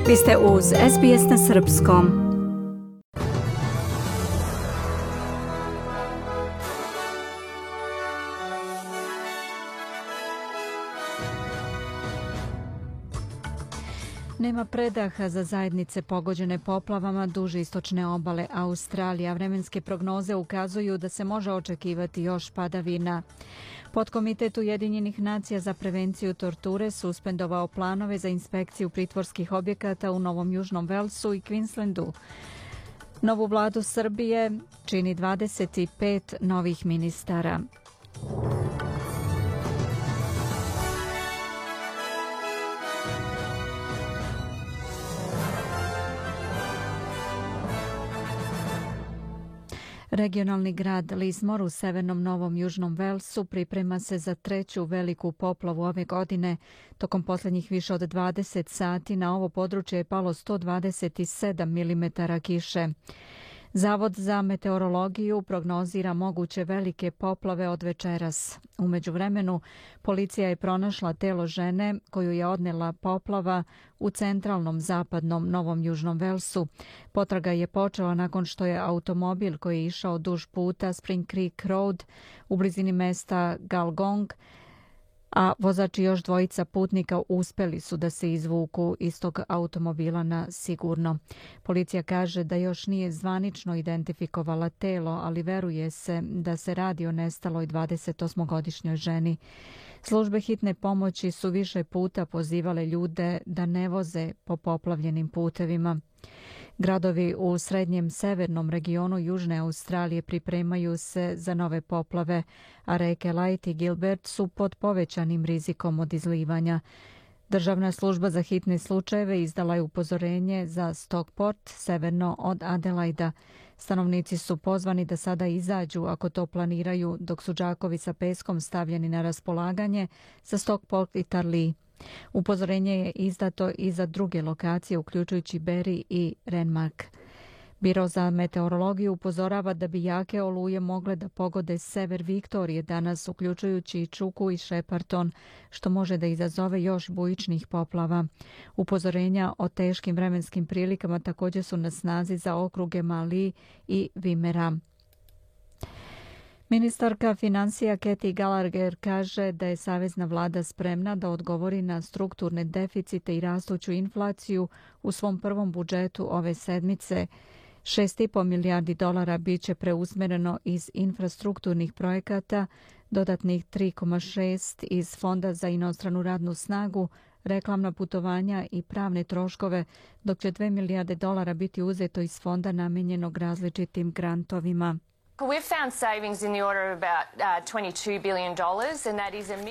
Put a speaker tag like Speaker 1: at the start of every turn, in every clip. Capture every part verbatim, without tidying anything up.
Speaker 1: Vi ste uz S B S na srpskom. Nema predaha za zajednice pogođene poplavama duž istočne obale Australije, a vremenske prognoze ukazuju da se može očekivati još padavina. Podkomitet Ujedinjenih nacija za prevenciju torture suspendovao planove za inspekciju pritvorskih objekata u Novom Južnom Velsu i Queenslandu. Novu vladu Srbije čini dvadeset pet novih ministara. Regionalni grad Lismore u severnom Novom Južnom Velsu priprema se za treću veliku poplavu ove godine. Tokom posljednjih više od dvadeset sati na ovo područje je palo sto dvadeset sedam milimetara kiše. Zavod za meteorologiju prognozira moguće velike poplave od večeras. U međuvremenu, policija je pronašla telo žene koju je odnela poplava u centralnom zapadnom Novom Južnom Velsu. Potraga je počela nakon što je automobil koji je išao duž puta Spring Creek Road u blizini mesta Galgong, a vozač i još dvojica putnika uspeli su da se izvuku iz tog automobila na sigurno. Policija kaže da još nije zvanično identifikovala telo, ali veruje se da se radi o nestaloj dvadesetosmogodišnjoj ženi. Službe hitne pomoći su više puta pozivale ljude da ne voze po poplavljenim putevima. Gradovi u srednjem severnom regionu Južne Australije pripremaju se za nove poplave, a reke Light i Gilbert su pod povećanim rizikom od izlivanja. Državna služba za hitne slučajeve izdala je upozorenje za Stockport, severno od Adelaida. Stanovnici su pozvani da sada izađu ako to planiraju, dok su džakovi sa peskom stavljeni na raspolaganje za Stockport i Tarlee. Upozorenje je izdato i za druge lokacije, uključujući Berry i Renmark. Biro za meteorologiju upozorava da bi jake oluje mogle da pogode sever Viktorije danas, uključujući i Čuku i Shepparton, što može da izazove još bujičnih poplava. Upozorenja o teškim vremenskim prilikama također su na snazi za okruge Mali i Vimera. Ministarka financija Kathy Gallagher kaže da je savezna vlada spremna da odgovori na strukturne deficite i rastuću inflaciju u svom prvom budžetu ove sedmice. šest i po milijardi dolara biće preusmjereno iz infrastrukturnih projekata, dodatnih tri zarez šest iz Fonda za inostranu radnu snagu, reklamna putovanja i pravne troškove, dok će dve milijarde dolara biti uzeto iz fonda namijenjenog različitim grantovima.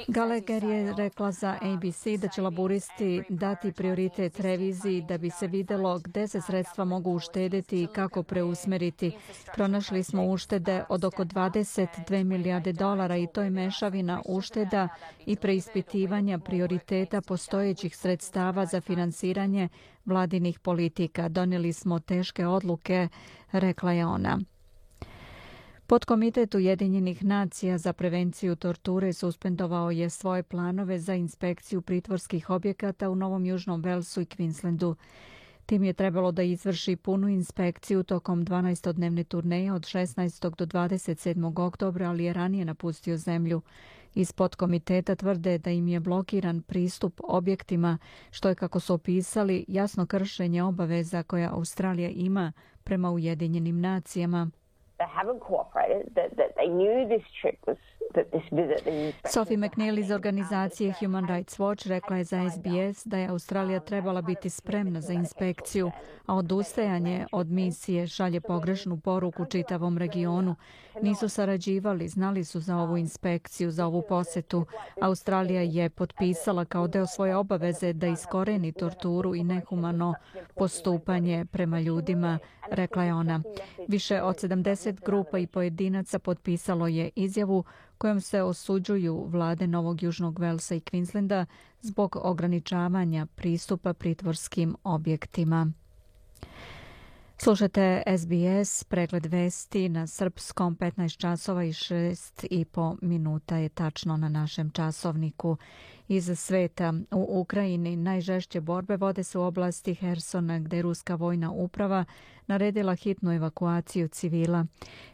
Speaker 1: Gallagher je rekla za A B C da će laburisti dati prioritet reviziji da bi se vidjelo gde se sredstva mogu uštedeti i kako preusmeriti. Pronašli smo uštede od oko dvadeset dve milijarde dolara i to je mešavina ušteda i preispitivanja prioriteta postojećih sredstava za finansiranje vladinih politika. Donijeli smo teške odluke, rekla je ona. Podkomitet Ujedinjenih nacija za prevenciju torture suspendovao je svoje planove za inspekciju pritvorskih objekata u Novom Južnom Velsu i Queenslandu. Tim je trebalo da izvrši punu inspekciju tokom dvanaestodnevne turneje od šesnaestog do dvadeset sedmog oktobra, ali je ranije napustio zemlju. Iz podkomiteta tvrde da im je blokiran pristup objektima, što je, kako su opisali, jasno kršenje obaveza koja Australija ima prema Ujedinjenim nacijama. Sophie McNeil iz organizacije Human Rights Watch rekla je za S B S da je Australija trebala biti spremna za inspekciju, a odustajanje od misije šalje pogrešnu poruku čitavom regionu. Nisu sarađivali, znali su za ovu inspekciju, za ovu posetu. Australija je potpisala kao deo svoje obaveze da iskoreni torturu i nehumano postupanje prema ljudima, rekla je ona. Više od sedamdeset grupa i pojedinaca potpisalo je izjavu kojom se osuđuju vlade Novog Južnog Velsa i Queenslanda zbog ograničavanja pristupa pritvorskim objektima. Slušate S B S, pregled vesti na srpskom, petnaest časova i šest i po minuta je tačno na našem časovniku. iz sveta. U Ukrajini najžešće borbe vode se u oblasti Hersona, gde je ruska vojna uprava naredila hitnu evakuaciju civila.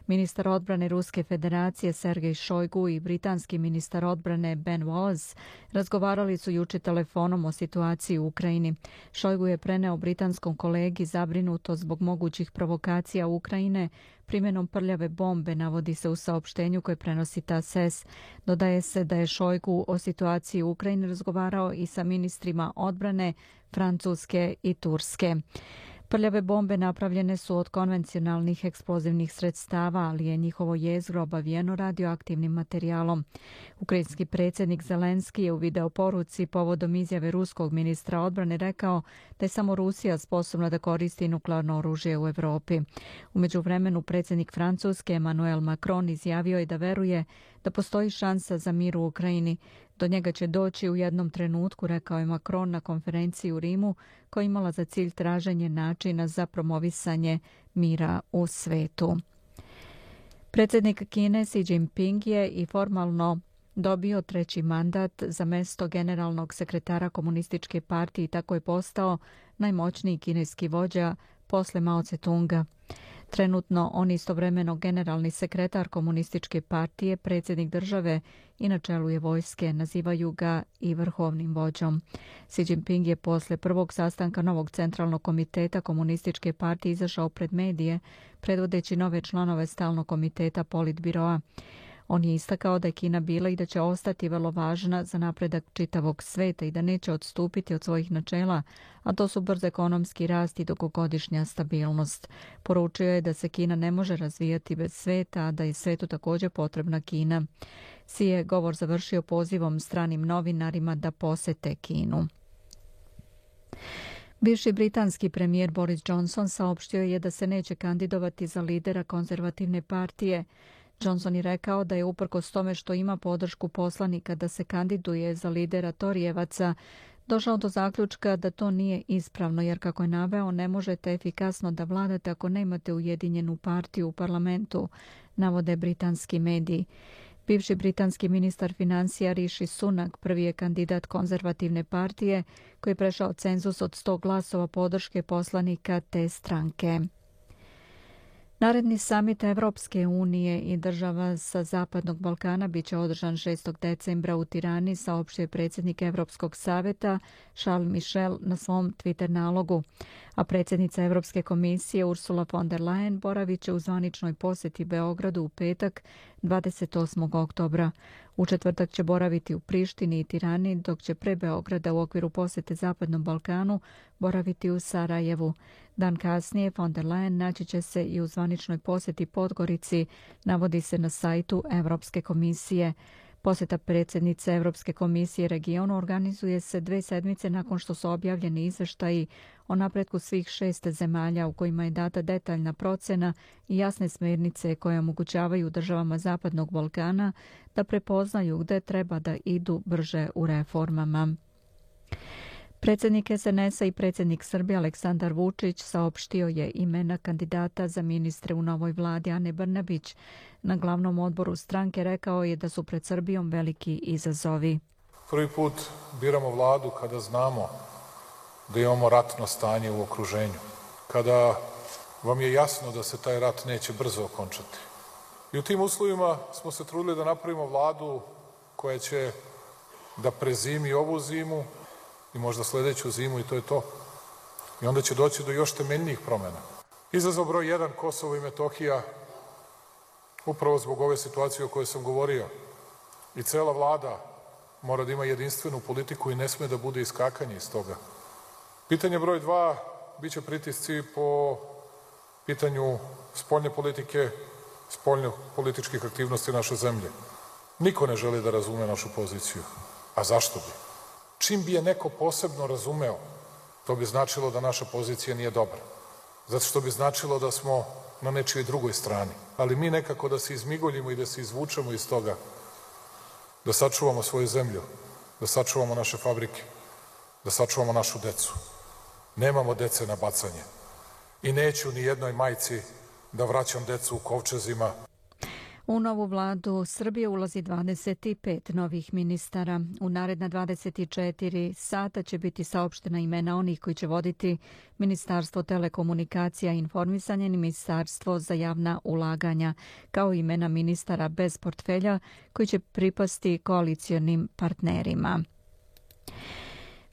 Speaker 1: Ministar odbrane Ruske federacije Sergej Šojgu i britanski ministar odbrane Ben Wallace razgovarali su juče telefonom o situaciji u Ukrajini. Šojgu je preneo britanskom kolegi zabrinuto zbog mogućih provokacija Ukrajine primjenom prljave bombe, navodi se u saopštenju koje prenosi T A S S. Dodaje se da je Šojgu o situaciji u Ukrajini razgovarao i sa ministrima odbrane Francuske i Turske. Prljave bombe napravljene su od konvencionalnih eksplozivnih sredstava, ali je njihovo jezgro obavijeno radioaktivnim materijalom. Ukrajinski predsjednik Zelenski je u videoporuci povodom izjave ruskog ministra odbrane rekao da je samo Rusija sposobna da koristi nuklearno oružje u Europi. U međuvremenu predsjednik Francuske Emmanuel Macron izjavio je da veruje da postoji šansa za mir u Ukrajini. Do njega će doći u jednom trenutku, rekao je Macron na konferenciji u Rimu, koja je imala za cilj traženje načina za promovisanje mira u svetu. Predsjednik Kine Xi Jinping je i formalno dobio treći mandat za mesto generalnog sekretara Komunističke partije i tako je postao najmoćniji kineski vođa posle Mao Tse-tunga. Trenutno on istovremeno generalni sekretar Komunističke partije, predsjednik države i na čelu je vojske, nazivaju ga i vrhovnim vođom. Xi Jinping je posle prvog sastanka novog centralnog komiteta Komunističke partije izašao pred medije, predvodeći nove članove stalnog komiteta Politbiroa. On je istakao da je Kina bila i da će ostati vrlo važna za napredak čitavog sveta i da neće odstupiti od svojih načela, a to su brz ekonomski rast i dugogodišnja stabilnost. Poručio je da se Kina ne može razvijati bez sveta, a da je svetu također potrebna Kina. Xi je govor završio pozivom stranim novinarima da posete Kinu. Bivši britanski premijer Boris Johnson saopštio je da se neće kandidovati za lidera konzervativne partije. Johnson je rekao da je uprkos tome što ima podršku poslanika da se kandiduje za lidera Torijevaca, došao do zaključka da to nije ispravno, jer kako je naveo, ne možete efikasno da vladate ako nemate ujedinjenu partiju u parlamentu, navode britanski mediji. Bivši britanski ministar financija Rishi Sunak prvi je kandidat konzervativne partije koji je prešao cenzus od sto glasova podrške poslanika te stranke. Naredni samit Evropske unije i država sa Zapadnog Balkana biće održan šestog decembra u Tirani, saopštio je predsjednik Evropskog savjeta Charles Michel na svom Twitter nalogu. A predsjednica Evropske komisije Ursula von der Leyen boravit će u zvaničnoj posjeti Beogradu u petak dvadeset osmog oktobra. U četvrtak će boraviti u Prištini i Tirani, dok će pre Beograda u okviru posjete Zapadnom Balkanu boraviti u Sarajevu. Dan kasnije von der Leyen naći će se i u zvaničnoj posjeti Podgorici, navodi se na sajtu Evropske komisije. Posjeta predsjednice Evropske komisije regionu organizuje se dve sedmice nakon što su objavljeni izveštaji o napretku svih šest zemalja u kojima je data detaljna procena i jasne smjernice koje omogućavaju državama Zapadnog Balkana da prepoznaju gde treba da idu brže u reformama. Predsjednik S N S-a i predsjednik Srbije Aleksandar Vučić saopštio je imena kandidata za ministre u novoj vladi. Ane Brnabić na glavnom odboru stranke rekao je da su pred Srbijom veliki izazovi.
Speaker 2: Prvi put biramo vladu kada znamo da imamo ratno stanje u okruženju, kada vam je jasno da se taj rat neće brzo okončati. I u tim uslovima smo se trudili da napravimo vladu koja će da prezimi ovu zimu i možda sledeću zimu i to je to. I onda će doći do još temeljnijih promjena. Izazov broj jedan, Kosovo i Metohija, upravo zbog ove situacije o kojoj sam govorio. I cela vlada mora da ima jedinstvenu politiku i ne sme da bude iskakanje iz toga. Pitanje broj dva, bit će pritisci po pitanju spoljne politike, spoljno političkih aktivnosti naše zemlje. Niko ne želi da razume našu poziciju. A zašto bi? Čim bi je neko posebno razumeo, to bi značilo da naša pozicija nije dobra. Zato što bi značilo da smo na nečijoj drugoj strani. Ali mi nekako da se izmigoljimo i da se izvučemo iz toga, da sačuvamo svoju zemlju, da sačuvamo naše fabrike, da sačuvamo našu decu. Nemamo dece na bacanje. I neću ni jednoj majci da vraćam decu u kovčezima.
Speaker 1: U novu vladu Srbije ulazi dvadeset pet novih ministara. U naredna dvadeset četiri sata će biti saopštena imena onih koji će voditi Ministarstvo telekomunikacija i informisanja i Ministarstvo za javna ulaganja, kao imena ministara bez portfelja koji će pripasti koalicionim partnerima.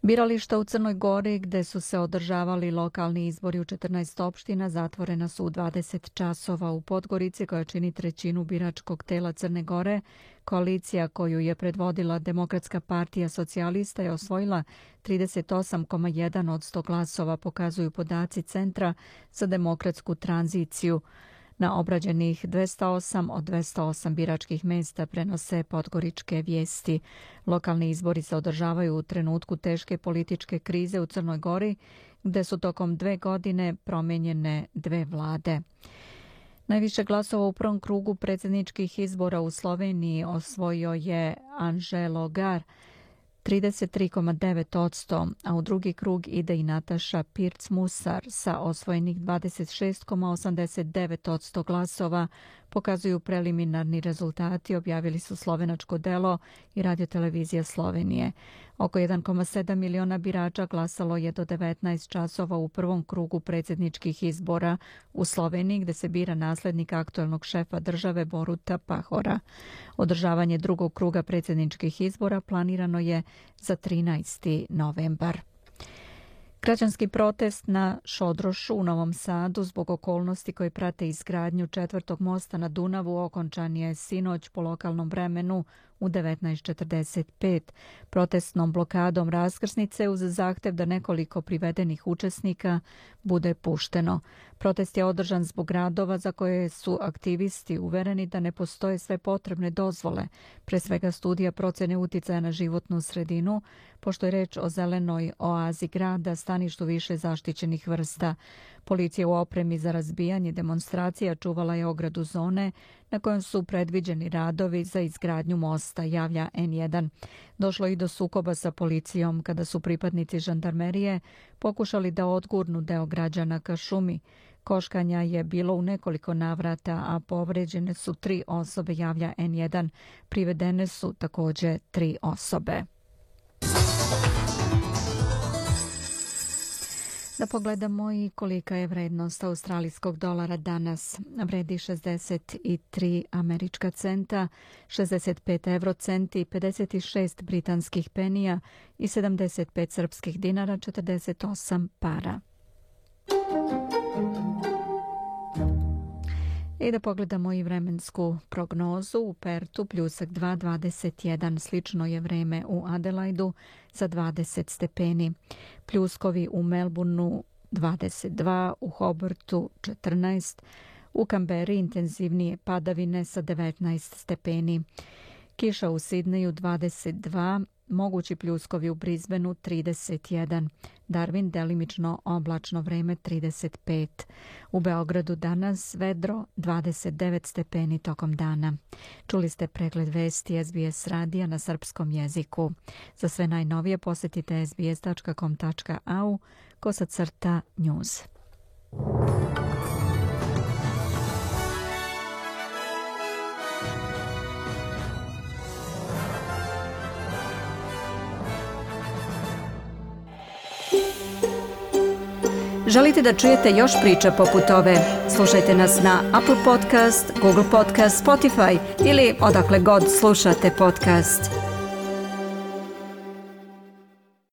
Speaker 1: Birališta u Crnoj Gori, gde su se održavali lokalni izbori u četrnaest opština, zatvorena su u dvadeset časova. U Podgorici, koja čini trećinu biračkog tela Crne Gore, koalicija koju je predvodila Demokratska partija socijalista je osvojila trideset osam zarez jedan posto glasova, pokazuju podaci Centra za demokratsku tranziciju. Na obrađenih dvesta osam od dvesta osam biračkih mesta prenose podgoričke vijesti. Lokalni izbori se održavaju u trenutku teške političke krize u Crnoj Gori, gde su tokom dve godine promijenjene dve vlade. Najviše glasova u prvom krugu predsjedničkih izbora u Sloveniji osvojio je Anželo Gar, trideset tri zarez devet posto, a u drugi krug ide i Nataša Pirc-Musar sa osvojenih dvadeset šest zarez osamdeset devet posto glasova, pokazuju preliminarni rezultati, objavili su Slovenačko delo i Radiotelevizija Slovenije. Oko jedan zarez sedam miliona birača glasalo je do devetnaest časova u prvom krugu predsjedničkih izbora u Sloveniji, gde se bira naslednik aktuelnog šefa države Boruta Pahora. Održavanje drugog kruga predsjedničkih izbora planirano je za trinaesti novembar. Građanski protest na Šodrošu u Novom Sadu zbog okolnosti koje prate izgradnju četvrtog mosta na Dunavu okončan je sinoć po lokalnom vremenu u devetnaest četrdeset pet. Protestnom blokadom raskrsnice uz zahtev da nekoliko privedenih učesnika bude pušteno. Protest je održan zbog radova za koje su aktivisti uvereni da ne postoje sve potrebne dozvole, pre svega studija procene uticaja na životnu sredinu, pošto je reč o zelenoj oazi grada, staništu više zaštićenih vrsta. Policija u opremi za razbijanje demonstracija čuvala je ogradu zone na kojem su predviđeni radovi za izgradnju mosta, javlja en jedan. Došlo i do sukoba sa policijom kada su pripadnici žandarmerije pokušali da odgurnu deo građana ka šumi. Koškanja je bilo u nekoliko navrata, a povređene su tri osobe, javlja en jedan. Privedene su također tri osobe. Da pogledamo i kolika je vrednost australijskog dolara danas. Vredi šezdeset tri američka centa, šezdeset pet eurocenti, pedeset šest britanskih penija i sedamdeset pet srpskih dinara, četrdeset osam para. I da pogledamo i vremensku prognozu. U Pertu pljusak dva, dvadeset jedan. Slično je vreme u Adelaidu za dvadeset stepeni. Pljuskovi u Melbourneu dvadeset dva, u Hobartu četrnaest, u Kamberi intenzivnije padavine sa devetnaest stepeni. Kiša u Sidneju dvadeset dva, mogući pljuskovi u Brisbaneu trideset jedan, Darwin delimično oblačno vreme trideset pet. U Beogradu danas vedro dvadeset devet stepeni tokom dana. Čuli ste pregled vesti es be es radija na srpskom jeziku. Za sve najnovije posjetite es be es tačka com tačka a u kosacrta news. Želite da čujete još priča poput ove? Slušajte nas na Apple Podcast, Google Podcast, Spotify ili odakle god slušate podcast.